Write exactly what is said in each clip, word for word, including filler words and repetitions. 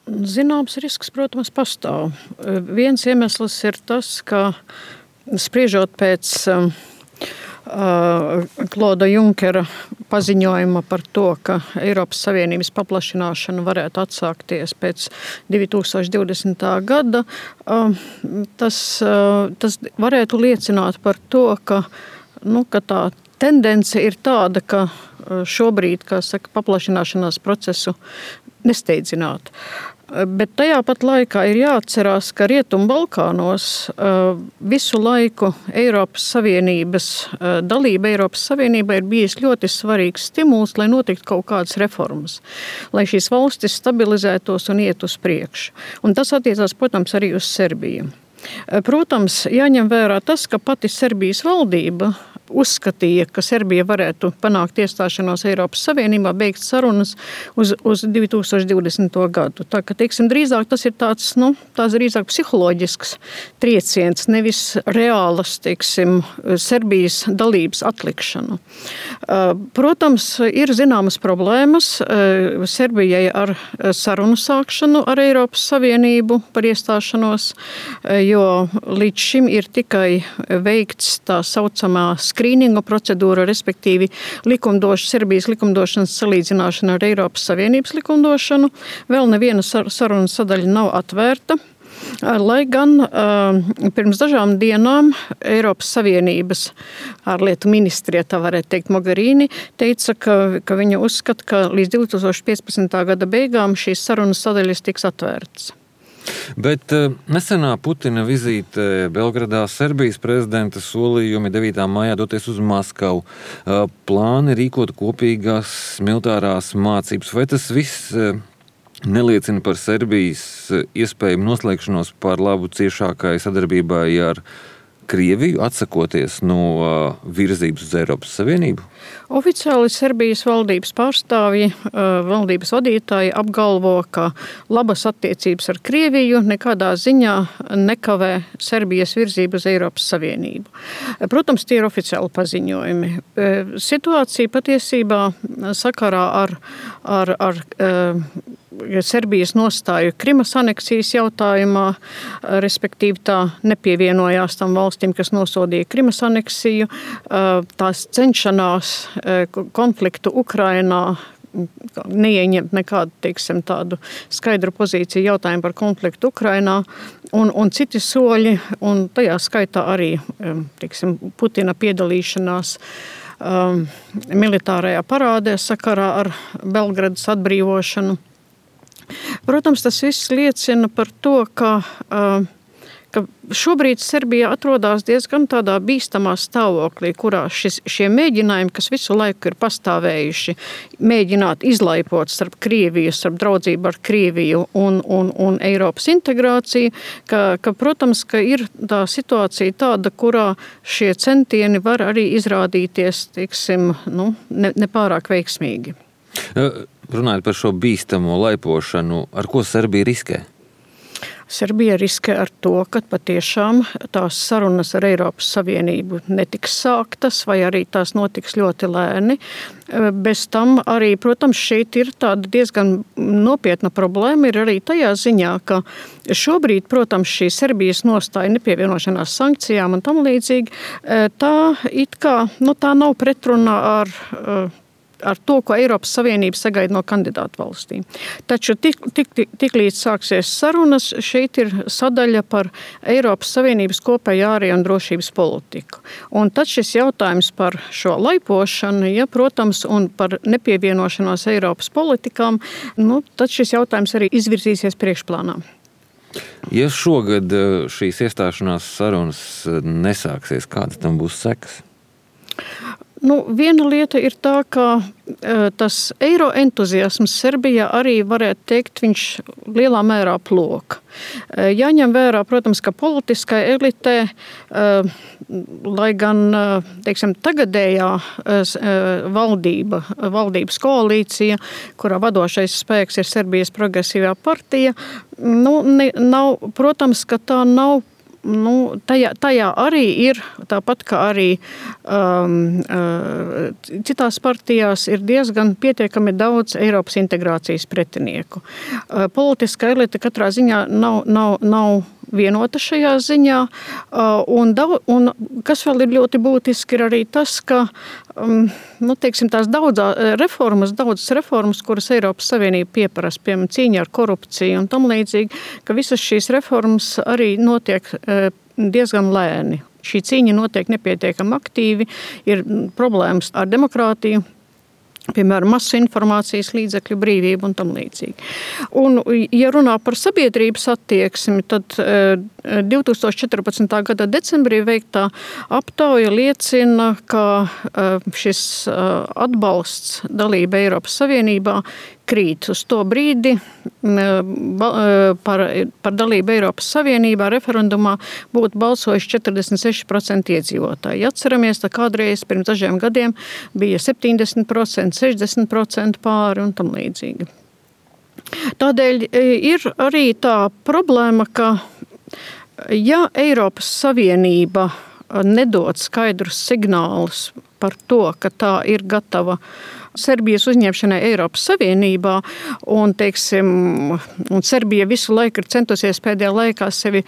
Zināms risks, protams, pastāv. Viens iemesls ir tas, ka spriežot pēc uh, Kloda Junkera paziņojuma par to, ka Eiropas Savienības paplašināšana varētu atsākties pēc divi tūkstoši divdesmitā gada, uh, tas, uh, tas varētu liecināt par to, ka, nu, ka tā tendence ir tāda, ka šobrīd, kā saka, paplašināšanās procesu nesteidzināt. Bet tajā pat laikā ir jāatcerās, ka Rietumu Balkānos visu laiku Eiropas Savienības dalība Eiropas Savienībā ir bijis ļoti svarīgs stimuls, lai notiktu kaut kādas reformas, lai šīs valstis stabilizētos un iet uz priekšu. Un tas attiecās, protams, arī uz Serbiju. Protams, jāņem vērā tas, ka pati Serbijas valdība uzskatīja, ka Serbija varētu panākt iestāšanos Eiropas Savienībā, beigt sarunas uz, uz divi tūkstoši divdesmito gadu. Tā ka, teiksim, drīzāk tas ir tāds, nu, tās drīzāk psiholoģisks trieciens, nevis reālas, teiksim, Serbijas dalības atlikšana. Protams, ir zināmas problēmas Serbijai ar sarunu sākšanu ar Eiropas Savienību par iestāšanos, jo līdz šim ir tikai veikts tā saucamā skrīninga procedūra, respektīvi likumdoš, Serbijas likumdošanas salīdzināšana ar Eiropas Savienības likumdošanu. Vēl neviena saruna sadaļa nav atvērta. Lai gan uh, pirms dažām dienām Eiropas Savienības ārlietu ministrija, tā varētu teikt, Mogherini, teica, ka, ka viņa uzskata, ka līdz divi tūkstoši piecpadsmitā gada beigām šīs sarunas sadaļas tiks atvērtas. Bet nesenā Putina vizīte Belgradā, Serbijas prezidenta solījumi devītā maijā doties uz Maskavu, plāni rīkot kopīgās militārās mācības. Vai tas viss neliecina par Serbijas iespējumu noslēgšanos par labu ciešākai sadarbībai ar Krieviju, atsakoties no virzības uz Eiropas Savienību? Oficiāli Serbijas valdības pārstāvji, valdības vadītāji apgalvo, ka labas attiecības ar Krieviju nekādā ziņā nekavē Serbijas virzību uz Eiropas Savienību. Protams, tie ir oficiāli paziņojumi. Situācija patiesībā sakarā ar, ar, ar Serbijas nostāju Krimas aneksijas jautājumā, respektīvi tā nepievienojās tam valstīm, kas nosodīja Krimas aneksiju, tās cenšanās konfliktu Ukrainā neieņemt nekādu, teiksim, tādu skaidru pozīciju jautājumu par konfliktu Ukrainā un, un citi soļi, un tajā skaitā arī, teiksim, Putina piedalīšanās um, militārajā parādē sakarā ar Belgradas atbrīvošanu. Protams, tas viss liecina par to, ka, ka šobrīd Serbija atrodas diezgan tādā bīstamā stāvoklī, kurā šis, šie mēģinājumi, kas visu laiku ir pastāvējuši, mēģināt izlaipot starp Krieviju, starp draudzību ar Krieviju un, un, un Eiropas integrāciju, ka, ka, protams, ka ir tā situācija tāda, kurā šie centieni var arī izrādīties, teiksim, nu, ne, nepārāk veiksmīgi. Runājot par šo bīstamo laipošanu, ar ko Serbija riskē? Serbija riskē ar to, ka patiešām tās sarunas ar Eiropas Savienību netiks sāktas vai arī tās notiks ļoti lēni. Bez tam arī, protams, šeit ir tāda diezgan nopietna problēma, ir arī tajā ziņā, ka šobrīd, protams, šī Serbijas nostāja nepievienošanās sankcijām un tam līdzīgi, tā it kā, nu tā nav pretrunā ar ar to, ko Eiropas Savienība sagaida no kandidātu valstīm. Taču tik, tik, tik, tik līdz sāksies sarunas, šeit ir sadaļa par Eiropas Savienības kopējo ārējo un drošības politiku. Un tad šis jautājums par šo laipošanu, ja, protams, un par nepievienošanos Eiropas politikām, nu, tad šis jautājums arī izvirzīsies priekšplānā. Ja šogad šīs iestāšanās sarunas nesāksies, kādas tam būs sekas? Nu, viena lieta ir tā, ka tas eiro entuziasms Serbijā arī varētu teikt, viņš lielā mērā plok. Jāņem vērā, protams, ka politiskai elitē, lai gan, teiksim, tagadējā valdība, valdības koalīcija, kurā vadošais spēks ir Serbijas progresīvā partija, nu, ne, nav, protams, ka tā nav nu, tajā, tajā arī ir, tāpat kā arī um, uh, citās partijās, ir diezgan pietiekami daudz Eiropas integrācijas pretinieku. Uh, politiskā elite katrā ziņā nav, nav, nav vienota šajā ziņā, uh, un, daudz, un kas vēl ir ļoti būtiski, ir arī tas, ka um, nu, teiksim, tās daudzā reformas, daudzas reformas, kuras Eiropas Savienība pieprasa, piemēram, cīņa ar korupciju un tam līdzīgi, ka visas šīs reformas arī notiek uh, diezgan lēni. Šī cīņa notiek nepietiekami aktīvi, ir problēmas ar demokrātiju, piemēram, masu informācijas līdzekļu brīvību un tam līdzīgi. Un, ja runā par sabiedrības attieksmi, tad divi tūkstoši četrpadsmitā gada decembrī veiktā aptauja liecina, ka šis atbalsts dalība Eiropas Savienībā krīt. Uz to brīdi par, par dalību Eiropas Savienībā referendumā būtu balsojuši četrdesmit seši procenti iedzīvotāji. Ja atceramies, tā kādreiz pirms dažiem gadiem bija septiņdesmit procenti, sešdesmit procenti pāri un tam līdzīgi. Tādēļ ir arī tā problēma, ka ja Eiropas Savienība nedod skaidrus signālus par to, ka tā ir gatava Serbijas uzņemšanai Eiropas Savienībā, un, teiksim, un Serbija visu laiku ir centusies pēdējā laikā sevi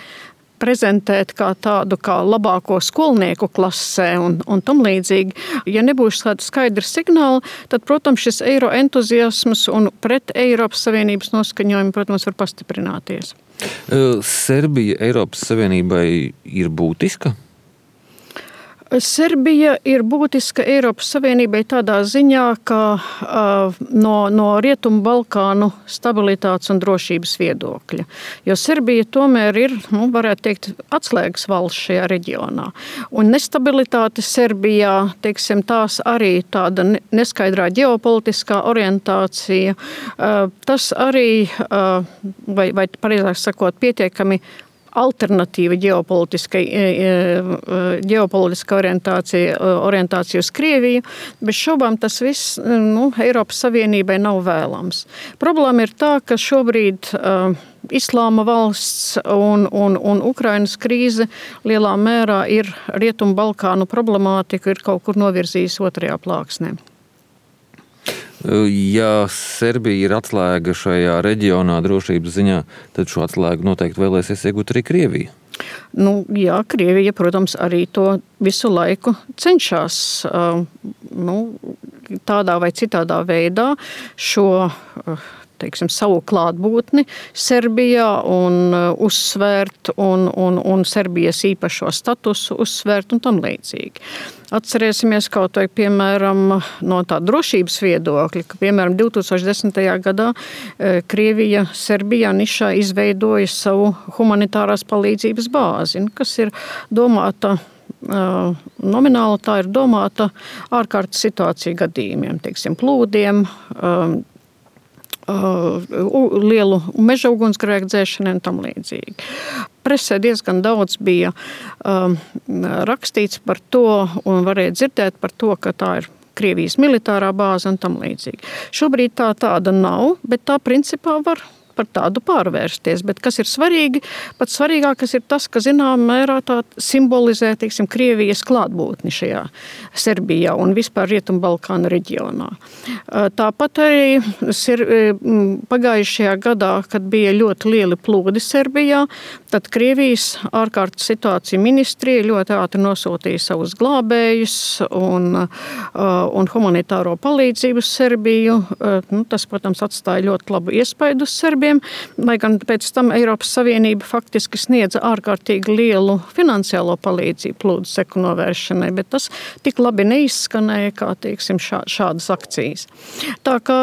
prezentēt kā tādu kā labāko skolnieku klasē un, un tam līdzīgi. Ja nebūs tāda skaidra signāla, tad, protams, šis eiro entuziasms un pret Eiropas Savienības noskaņojumi, protams, var pastiprināties. Serbija Eiropas Savienībai ir būtiska? Serbija ir būtiska Eiropas Savienībai tādā ziņā, ka uh, no, no Rietumu Balkānu stabilitātes un drošības viedokļa. Jo Serbija tomēr ir, nu, varētu teikt, atslēgas valsts šajā reģionā. Un nestabilitāte Serbijā, teiksim, tās arī tāda neskaidrā ģeopolitiskā orientācija, uh, tas arī, uh, vai, vai pareizāk sakot, pietiekami alternatīva ģeopolitiskai, ģeopolitiska orientācija, orientācija uz Krieviju, bez šaubām tas viss, nu, Eiropas Savienībai nav vēlams. Problēma ir tā, ka šobrīd uh, Islāma valsts un, un, un Ukrainas krīze lielā mērā ir Rietumu Balkānu problemātiku ir kaut kur novirzījis otrajā plāksnē. Ja Serbija ir atslēga šajā reģionā drošības ziņā, tad šo atslēgu noteikti vēlēsies iegūt arī Krievija. Nu, jā, Krievija, protams, arī to visu laiku cenšas nu, tādā vai citādā veidā šo teiksim, savu klātbūtni Serbijā un uzsvērt un, un, un Serbijas īpašo statusu uzsvērt un tam līdzīgi. Atcerēsimies kaut vai, piemēram, no tā drošības viedokļa, ka, piemēram, divi tūkstoši desmitajā gadā Krievija Serbijā nišā izveidoja savu humanitārās palīdzības bāzi, kas ir domāta nomināli, tā ir domāta ārkārtas situāciju gadījumiem, teiksim, plūdiem, lielu meža ugunsgrēku dzēšanai un tam līdzīgi. Presē diezgan daudz bija um, rakstīts par to un varēja dzirdēt par to, ka tā ir Krievijas militārā bāze un tam līdzīgi. Šobrīd tā tāda nav, bet tā principā var par tādu pārvērsties. Bet kas ir svarīgi, pats svarīgākais ir tas, ka zinām mērā tā simbolizē, teiksim, Krievijas klātbūtni šajā Serbijā un vispār Rietumu Balkānu reģionā. Tāpat arī pagājušajā gadā, kad bija ļoti lieli plūdi Serbijā, tad Krievijas ārkārtas situācija ministrija ļoti ātri nosūtīja savus glābējus un, un humanitāro palīdzību uz Serbiju. Nu, tas, protams, atstāja ļoti labu iespaidu uz Serbiju. Lai gan pēc tam Eiropas Savienība faktiski sniedza ārkārtīgi lielu finansiālo palīdzību plūdu seku novēršanai, bet tas tik labi neizskanēja kā, teiksim, šā, šādas akcijas. Tā kā,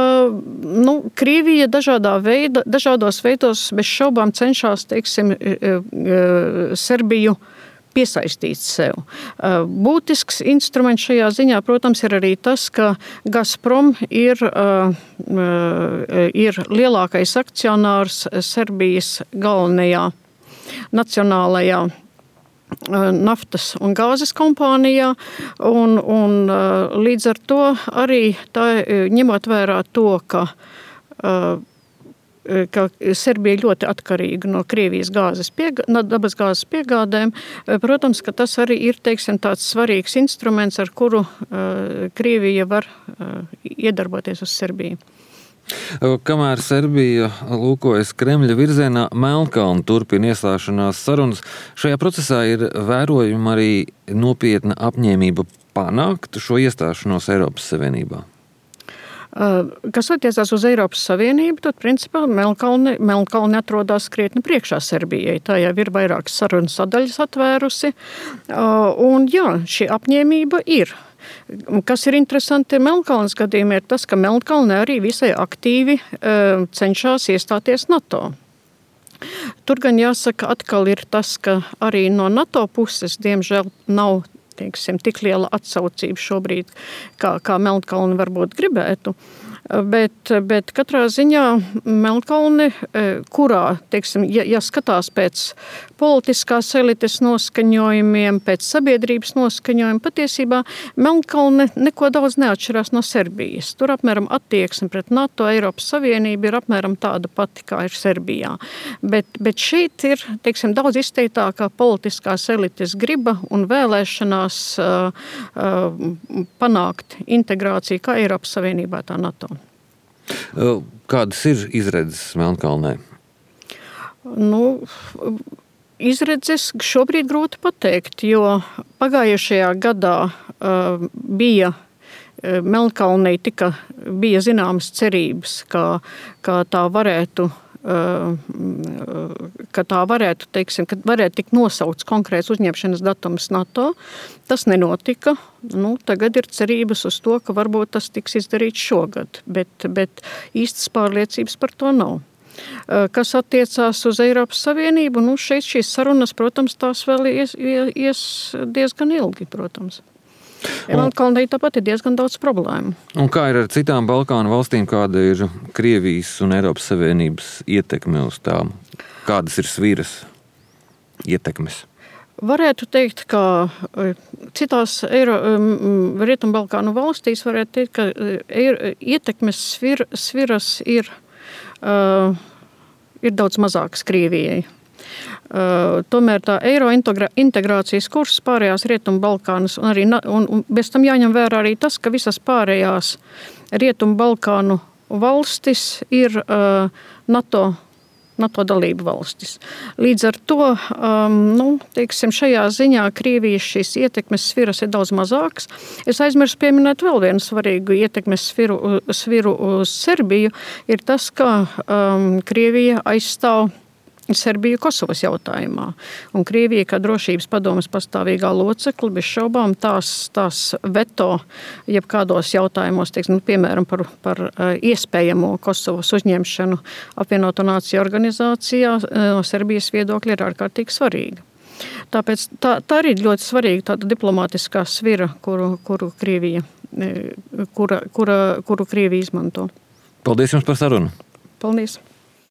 nu, Krievija dažādā veida, dažādos veidos bez šaubām cenšas, teiksim, Serbiju piesaistīt sev. Būtisks instruments šajā ziņā, protams, ir arī tas, ka Gazprom ir, ir lielākais akcionārs Serbijas galvenajā nacionālajā naftas un gāzes kompānijā, un, un līdz ar to arī tā, ņemot vērā to, ka ka Serbija ļoti atkarīga no Krievijas gāzes piegā, no dabas gāzes piegādēm. Protams, ka tas arī ir, teiksim, tāds svarīgs instruments, ar kuru Krievija var iedarboties uz Serbiju. Kamēr Serbija lūkojas Kremļa virzienā, Melnkalne turpina iestāšanās sarunas. Šajā procesā ir vērojama arī nopietna apņēmība panākt šo iestāšanos Eiropas Savienībā. Kas attiecās uz Eiropas Savienību, tad principā Melnkalne, Melnkalne atrodas krietni priekšā Serbijai. Tā jau ir vairākas sarunu sadaļas atvērusi. Un jā, šī apņēmība ir. Kas ir interesanti Melnkalnes gadījumā, ir tas, ka Melnkalne arī visai aktīvi cenšas iestāties NATO. Tur gan jāsaka, atkal ir tas, ka arī no NATO puses, diemžēl, nav teiksim, tik liela atsaucība šobrīd, kā, kā Melnkalne varbūt gribētu. Bet, bet katrā ziņā Melnkalne, kurā, teiksim, ja, ja skatās pēc politiskās elites noskaņojumiem, pēc sabiedrības noskaņojuma, patiesībā Melnkalne neko daudz neatšķirās no Serbijas. Tur apmēram attieksme pret NATO, Eiropas Savienību ir apmēram tāda pati, kā ir Serbijā. Bet, bet šeit ir, teiksim, daudz izteiktākā politiskās elites griba un vēlēšanās uh, uh, panākt integrāciju kā Eiropas Savienībā, tā NATO. Kādas ir izredzes Melnkalnē? Nu, izredzes šobrīd grūti pateikt, jo pagājušajā gadā uh, bija Melnkalnei tika, bija zināmas cerības, ka, ka tā varētu ka tā varētu, teiksim, ka varētu tikt nosaukts konkrēts uzņemšanas datums NATO. Tas nenotika. Nu, tagad ir cerības uz to, ka varbūt tas tiks izdarīts šogad, bet, bet īstas pārliecības par to nav. Kas attiecās uz Eiropas Savienību, nu, šeit šīs sarunas, protams, tās vēl ies, ies diezgan ilgi, protams. Melnkalnei tāpat ir diezgan daudz problēmu. Un kā ir ar citām Balkānu valstīm, kāda ir Krievijas un Eiropas Savienības ietekme uz tām? Kādas ir sviras ietekmes? Varētu teikt, ka citās Eiro, Rietumbalkānu valstīs varētu teikt, ka ietekmes svir, sviras ir, uh, ir daudz mazākas Krievijai. Uh, tomēr tā eiro integrācijas kurs pārējās Rietumbalkānas un, arī, un, un bez tam jāņem vērā arī tas, ka visas pārējās Rietumbalkānu valstis ir uh, NATO, NATO dalību valstis. Līdz ar to, um, nu, teiksim, šajā ziņā Krievijas šīs ietekmes sviras ir daudz mazākas. Es aizmirsu pieminēt vēl vienu svarīgu ietekmes sviru, sviru uz Serbiju, ir tas, ka um, Krievija aizstāv Serbiju Kosovas jautājumā. Un Krievija, kā drošības padomes pastāvīgā locekle, bez šaubām tās, tās veto jebkādos jautājumos, teiksim, piemēram, par, par iespējamo Kosovas uzņemšanu apvienoto nāciju organizācijā no Serbijas viedokļa ir ārkārtīgi svarīga. Tāpēc tā, tā arī ļoti svarīga tāda diplomātiskā svira, kuru, kuru, Krievija, kura, kura, kuru Krievija izmanto. Paldies jums par sarunu. Paldies.